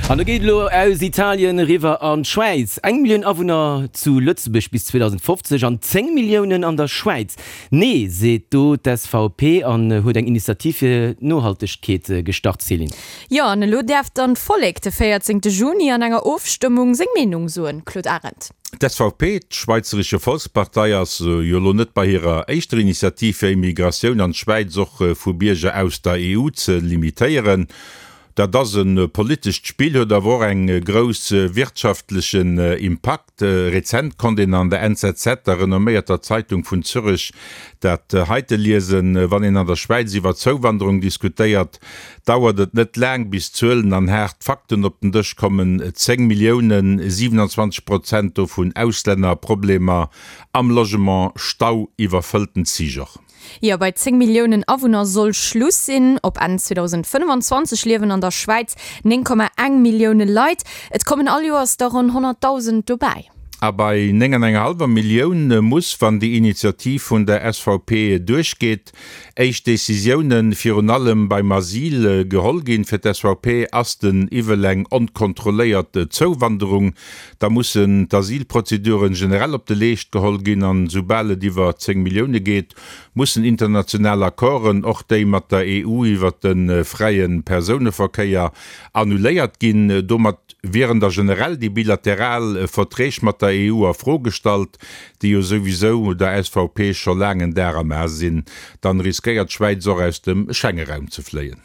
An da geet et elo aus Italien eriwwer an d'Schwäiz. Eng Millioun Awunner zu Lëtzebuerg bis 2050 an 10 Milliounen an der Schwäiz. Nee, seet do d'SVP an huet eng Initiativ fir d'Nohaltegkeet gestart. Céline. Jo, an elo däerf dann d'Vollek de 14 Juni an enger Ofstëmmung seng Meenung soen. Claude Arend. D'SVP, d'Schweizerische Volkspartei, ass jo elo net bei hirer éischter Initiativ fir Immigratioun an d'Schwäiz och vu Bierger aus der EU ze limitéieren. Dat ass e politescht Spill, huet awer och eng grouss wirtschaftlechen Impakt. Rezent konnt een an der NZZ, der renomméierter Zeitung vun Zürech, dat heite liesen, Wann een an der Schwäiz iwwer Zouwanderung diskutéiert, dauert et net laang, bis Zuelen an haart Fakten op den Dësch kommen, 10 Milliounen, 27 Prozent dovun Auslänner, Problemer am Logement, Stau, iwwerfëllten Zich och. Jo, bei 10 Milliounen Awunner soll Schluss sinn. Op Enn 2025 liewen an der Schwäiz 9,1 Millioune Leit. Et kommen all Joers der ronn 100.000 dobäi. A bei 9 an enger hallwer Millioun muss, wann déi Initiativ vun der SVP duerchgeet, éischt Decisiounen, virun allem beim Asyl, geholl ginn. Fir d'SVP ass den Iwwel eng onkontrolléiert Zouwanderung. Da mussen d'Asylprozeduren generell op de Leescht geholl ginn an soubal et iwwer 10 Millioune geet, mussen international Accorden, och déi mat der EU iwwer de fräie Persouneverkéier, annuléiert ginn. Domat wieren da generell déi bilateral Verträg mat der EU a Fro gestallt, déi jo souwisou der SVP scho laang en Dar am A sinn. Dann riskéiert d'Schwäiz och aus dem Schengeraum ze fléien.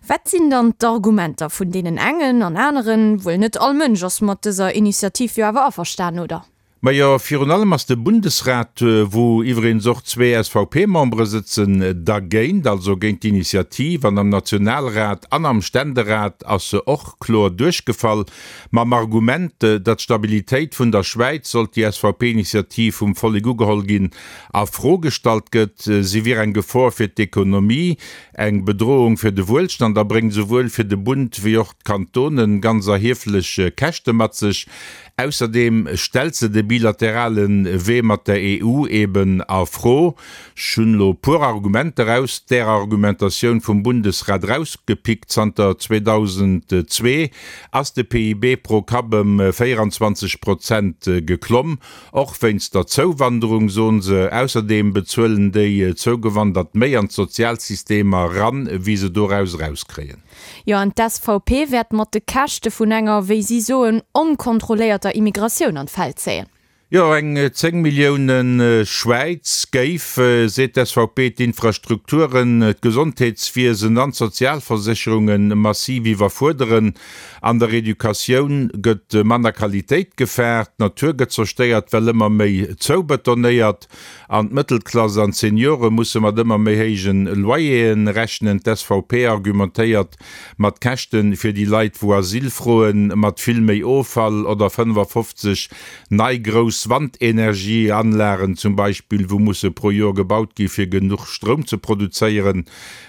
Wat sinn dann d'Argumenter vun deenen engen an aneren? Wuel net all Mënsch ass mat dëser Initiativ jo awer averstanen, oder? Majo, virun allem ass de Bundesrat, wou iwweregens och zwee SVP-Membere sëtzen, dergéint, also géint d'Initiativ. An am Nationalrat an am Ständerat ass se och kloer duerchgefall, mam Argument, datt d'Stabilitéit vun der Schwäiz, sollt déi SVP-Initiativ vum Vollek ugeholl ginn, a Fro gestallt gëtt. Si wier eng Gefor fir d'Ekonomie, Eng Bedrohung fir de Wuelstand a bréngt esouwuel fir de Bund wéi och d'Kantonen ganz erhieflech Käschte mat sech. Ausserdeem stellt se de bilaterale Wee mat der EU eben a Fro. Ech hunn elo e puer Argumenter aus där Argumentatioun vum Bundesrat erausgepickt. Zanter 2002 ass de PIB pro Kapp ëm 24 Prozent geklomm. Och wéinst der Zouwanderung, soen se. Ausserdeem bezuelen déi Zougewandert méi an d'Sozialsystemer ran, wéi se doraus erauskréien. Jo, an d'SVP wäert mat de Käschte vun enger, wéi si soen, onkontrolléierter Immigratioun an d'Feld zéien. Jo, eng 10 Millioune Schwäiz géif, seet d'SVP, d'Infrastrukturen, d'Gesondheetswiesen an d'Sozialversécherunge massiv iwwerfuerderen. An der Educatioun gëtt manner Qualitéit gefaart, d'Natur gëtt zerstéiert, well ëmmer méi zoubetonéiert an d'Mëttelklass an d'Seniore musse mat ëmmer méi héijen Loyeren rechnen. D'SVP argumentéiert mat Käschte fir déi Leit wou Asyl froen, mat vill méi Offall oder 55 nei grouss Wandenergieanlagen zum Beispill wou musse pro Joer gebaut gi fir genuch Stroum ze produzéieren.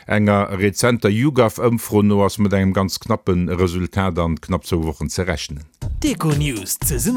Enger rezenter YouGov-Ëmfro no ass mat engem ganz knappe Resultat an knapp zwou Wochen ze rechnen. D'Econews zesumme.